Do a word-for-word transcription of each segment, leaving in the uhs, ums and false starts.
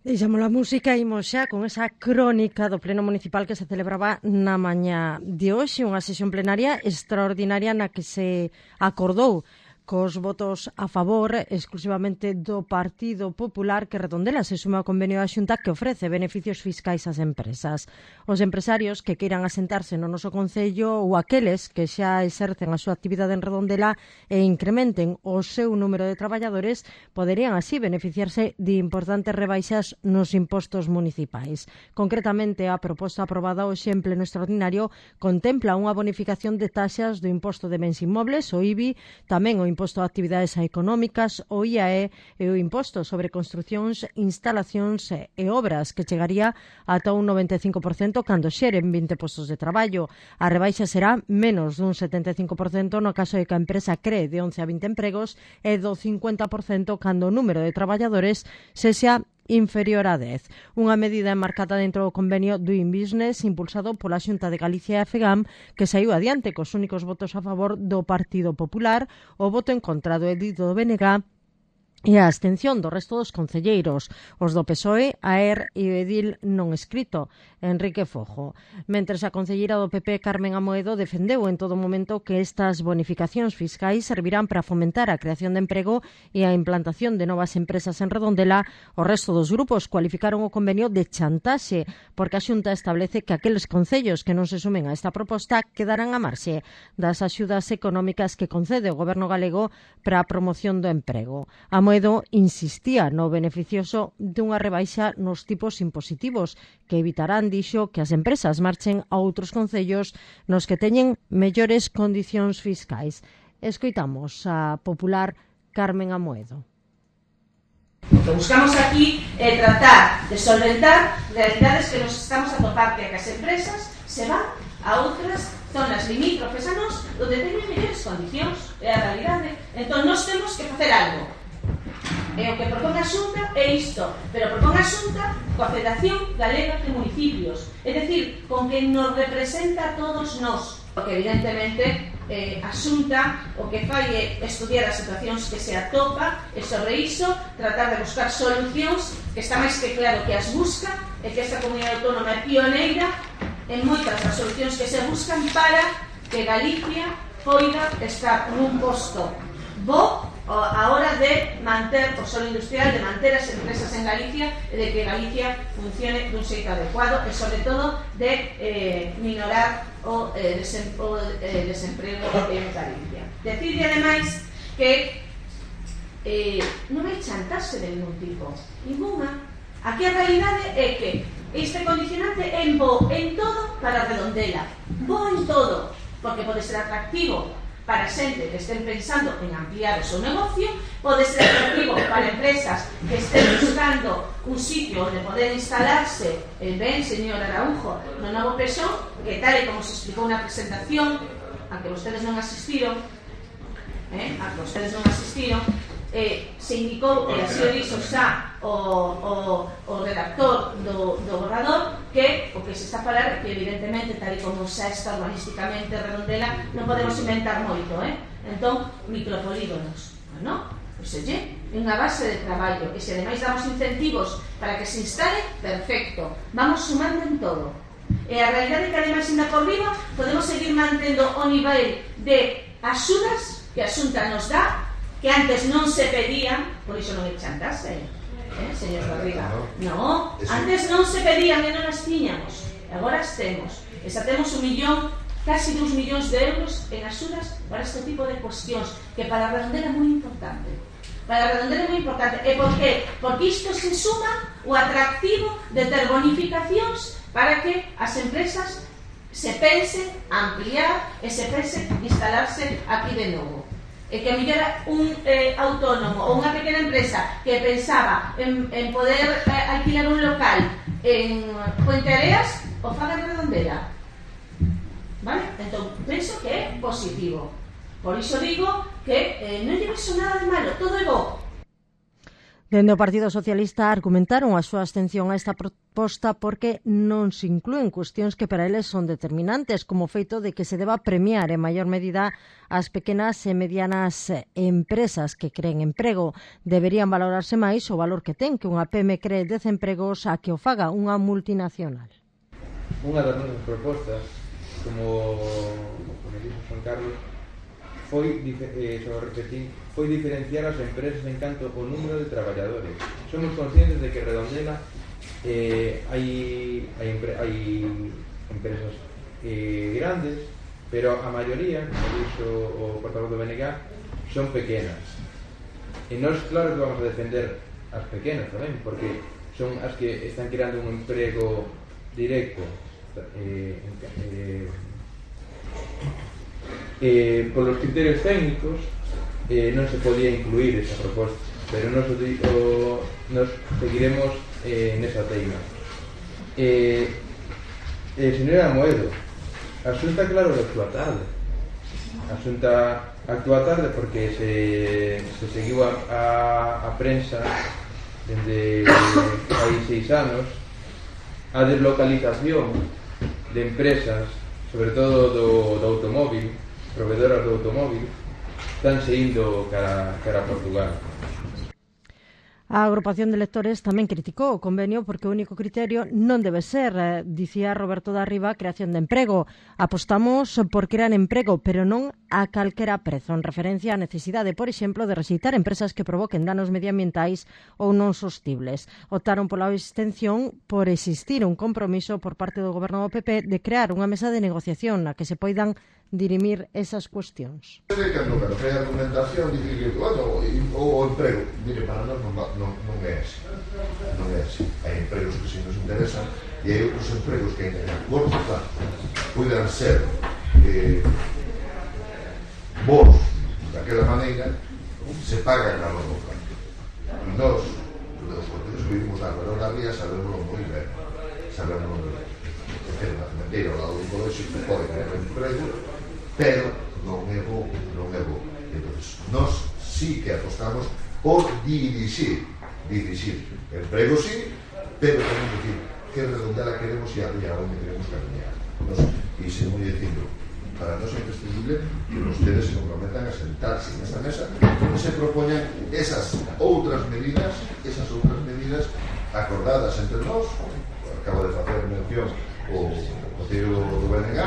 Deixamos a música e imos xa con esa crónica do Pleno Municipal que se celebraba na mañá de hoxe, unha sesión plenaria extraordinaria na que se acordou cos votos a favor exclusivamente do Partido Popular que redondela se suma ao convenio da Xunta que ofrece beneficios fiscais ás empresas. Os empresarios que queiran asentarse no noso concello ou aqueles que xa exercen a súa actividade en Redondela e incrementen o seu número de traballadores poderían así beneficiarse de importantes rebaixas nos impostos municipais. Concretamente, a proposta aprobada hoxe en pleno extraordinario contempla unha bonificación de taxas do imposto de bens inmobles, o I B I, tamén o imposto de actividades económicas, o I A E e o imposto sobre construcións, instalacións e obras que chegaría ata un noventa e cinco por cento cando xeren vinte postos de traballo. A rebaixa será menos dun setenta e cinco por cento no caso de que a empresa cree de once a vinte empregos e do cincuenta por cento cando o número de traballadores sexa inferior a dez. Unha medida enmarcada dentro do convenio Doing Business impulsado pola Xunta de Galicia e a FEGAM que saiu adiante cos únicos votos a favor do Partido Popular, o voto en contra do edito do B N G e a abstención do resto dos concelleiros, os do P S O E, a E R e o edil non escrito, Enrique Fojo. Mentres a concelleira do P P, Carmen Amoedo, defendeu en todo momento que estas bonificacións fiscais servirán para fomentar a creación de emprego e a implantación de novas empresas en Redondela, o resto dos grupos cualificaron o convenio de chantaxe, porque a Xunta establece que aqueles concellos que non se sumen a esta proposta quedarán a marxe das axudas económicas que concede o Goberno galego para a promoción do emprego. Amoedo insistía no beneficioso dunha rebaixa nos tipos impositivos que evitarán, dixo, que as empresas marchen a outros concellos nos que teñen mellores condicións fiscais. Escoitamos a popular Carmen Amoedo. O que buscamos aquí é tratar de solventar realidades que nos estamos a topar que as empresas se van a outras zonas limítrofes a nós onde teñen mellores condicións. É a realidade. Entón, nós temos que facer algo. E o que propón a Xunta é isto, pero propón a Xunta coa Federación Galega de Municipios, é dicir, con que nos representa a todos nós. Porque evidentemente eh, a Xunta o que fai é estudiar as situacións que se atopa e sobre iso tratar de buscar solucións que está máis que claro que as busca e que esta comunidade autónoma é pioneira en moitas das solucións que se buscan para que Galicia poida estar nun posto bo a hora de manter o solo industrial, de manter as empresas en Galicia e de que Galicia funcione dun xeito adecuado e, sobre todo, de eh, minorar o, eh, desem, o eh, desemprego en Galicia. Decirle, ademais, que eh, non hai chantaxe de ningún tipo, ninguna. Aquí a realidade é que este condicionante é bo en todo para Redondela, bo en todo, porque pode ser atractivo para xente que estén pensando en ampliar o seu negocio, pode ser atractivo para empresas que estén buscando un sitio onde poder instalarse, el ben, señor Araujo, no novo Pexón, que tal e como se explicou na presentación, a que vostedes non asistiron, eh, a que vostedes non asistiron, eh, se indicou, e así o dixo xa o, o, o redactor do, do borrador, que o que se está a falar é que evidentemente, tal e como xa está urbanísticamente Redondela, non podemos inventar moito, eh? Entón, micropolígonos, non? Pois oye, unha base de traballo, e se ademais damos incentivos para que se instale, perfecto, vamos sumando en todo. E a realidade é que ademais ainda por riba podemos seguir mantendo o nivel de axudas que a Xunta nos dá, que antes non se pedían, por iso non é chantaxe, eh, señor Garriga. No, antes non se pedían e non as tiñamos, agora as temos. E xa temos un millón, casi dous millóns de euros en axudas para este tipo de cuestións, que para a Redondela é moi importante. Para a Redondela é moi importante. E por qué? Porque isto se suma o atractivo de ter bonificacións para que as empresas se pense ampliar e se pense instalarse aquí de novo. E que a mellor un eh, autónomo ou unha pequena empresa que pensaba en, en poder eh, alquilar un local en Puente Areas o faga en Redondela, vale? Entón, penso que é positivo, por iso digo que eh, non lle vexo nada de malo, todo é bo. Dende o Partido Socialista argumentaron a súa abstención a esta proposta porque non se inclúen cuestións que para eles son determinantes, como o feito de que se deba premiar en maior medida as pequenas e medianas empresas que creen emprego. Deberían valorarse máis o valor que ten que unha pyme cree dez empregos a que o faga unha multinacional. Unha das nosas propostas, como, como dixo Juan Carlos, foi, eh, sobre repetir, foi diferenciar as empresas en canto ao número de traballadores. Somos conscientes de que Redondela eh, hai, hai, hai empresas eh, grandes, pero a maioría, como dixo o portavoz do B N G, son pequenas. E nós, claro que vamos a defender as pequenas tamén, porque son as que están creando un emprego directo. Eh, eh, eh, polos criterios técnicos eh, non se podía incluir esa proposta, pero nos, o, nos seguiremos eh, nesa teima. Eh, eh, señora Moedo, a Xunta claro que actúa tarde. A Xunta actúa tarde porque se, se seguiu a, a, a prensa dende hai seis anos a deslocalización de empresas, sobre todo do, do automóvil, proveedoras do automóvil, están indo cara, cara a Portugal. A agrupación de lectores tamén criticou o convenio porque o único criterio non debe ser, eh, dicía Roberto da Riva, creación de emprego. Apostamos por crear emprego, pero non a calquera prezo, en referencia á necesidade, por exemplo, de rexeitar empresas que provoquen danos medioambientais ou non sostibles. Optaron pola abstención por existir un compromiso por parte do goberno do P P de crear unha mesa de negociación na que se poidan dirimir esas cuestións. Cando cando fai argumentación dice que, bueno, o, o emprego, mire, para nós non, non, non é así, non é así. Hai empregos que si nos interesan e hai outros empregos que en a corto plazo poidan ser eh, bons daquela maneira, se pagan a longo plazo. E nós, os portugueses que vivimos na Barón da Ría, sabemos moi ben, sabemos moi ben. É unha cementeira ao lado do colexio que pode crear emprego, pero non é bo, non é bo. Entón, nós sí que apostamos por dirixir, dirixir emprego sí, pero tamén decir que Redondela queremos e a onde queremos camiñar. Nos, e seguimos dicindo, para nós é imprescindible que ustedes se comprometan a sentarse nesta mesa onde se propoñan esas outras medidas, esas outras medidas acordadas entre nós. Acabo de facer mención o Consello do B N G,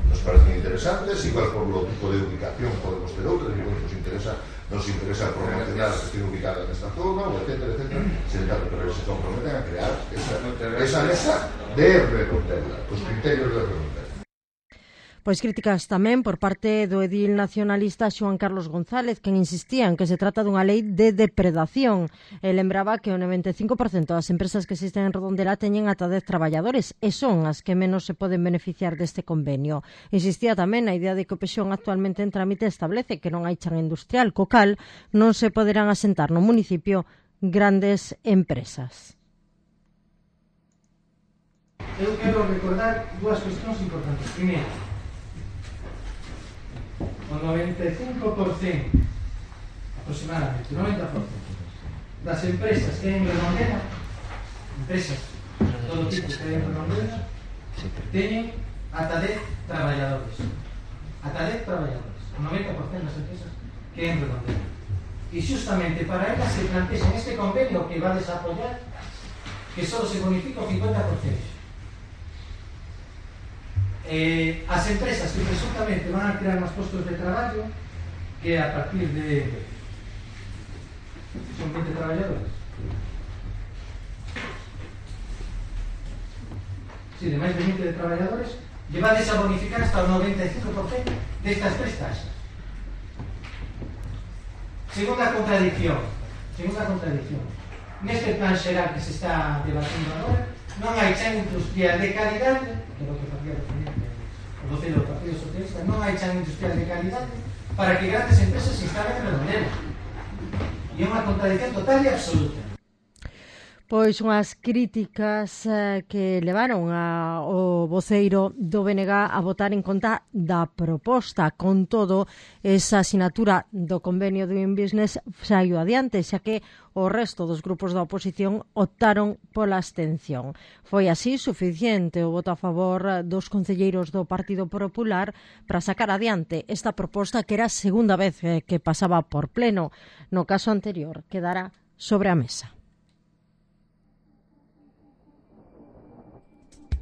nos parecen interesantes, igual por lo tipo de ubicación podemos ter outras, igual nos interesa, nos interesa promocionar que estén ubicadas nesta zona, etcétera, etcétera, sentar, pero se comprometen a crear esa, esa mesa de Redondela, os criterios de Redondela. Pois críticas tamén por parte do edil nacionalista Xoán Carlos González, quen insistía en que se trata dunha lei de depredación. E lembraba que o noventa e cinco por cento das empresas que existen en Redondela teñen ata dez traballadores e son as que menos se poden beneficiar deste convenio. Insistía tamén na idea de que o Pexón actualmente en trámite establece que non hai chan industrial, co cal non se poderán asentar no municipio grandes empresas. Eu quero recordar dúas cuestións importantes. Primeiro, o noventa e cinco por cento, aproximadamente, noventa por cento das empresas que hai en Redondela, empresas de todo tipo que hai en Redondela, teñen ata dez traballadores. Ata dez traballadores. O noventa por cento das empresas que hai en Redondela. E xustamente para elas se plantean este convenio que va a desapoyar que só se bonifica o cincuenta por cento. Eh, as empresas que presuntamente van a crear máis postos de traballo, que a partir de son veinte traballadores, si, sí, de máis de veinte de traballadores, llevades a bonificar hasta o noventa e cinco por cento destas tres taxas. Segunda contradicción, segunda contradicción. Neste plan xeral que se está debatindo agora, non hai chan industrial de calidade, que é o que facía referencia o vocero do Partido Socialista, non hai chan industrial de calidade para que grandes empresas se instalen en Redondela. E é unha contradicción total e absoluta. Pois unhas críticas eh, que levaron a, o voceiro do B N G a votar en conta da proposta. Con todo, esa asinatura do convenio do Doing Business saiu adiante, xa que o resto dos grupos da oposición optaron pola abstención. Foi así suficiente o voto a favor dos concelleiros do Partido Popular para sacar adiante esta proposta que era a segunda vez que pasaba por pleno. No caso anterior, quedara sobre a mesa.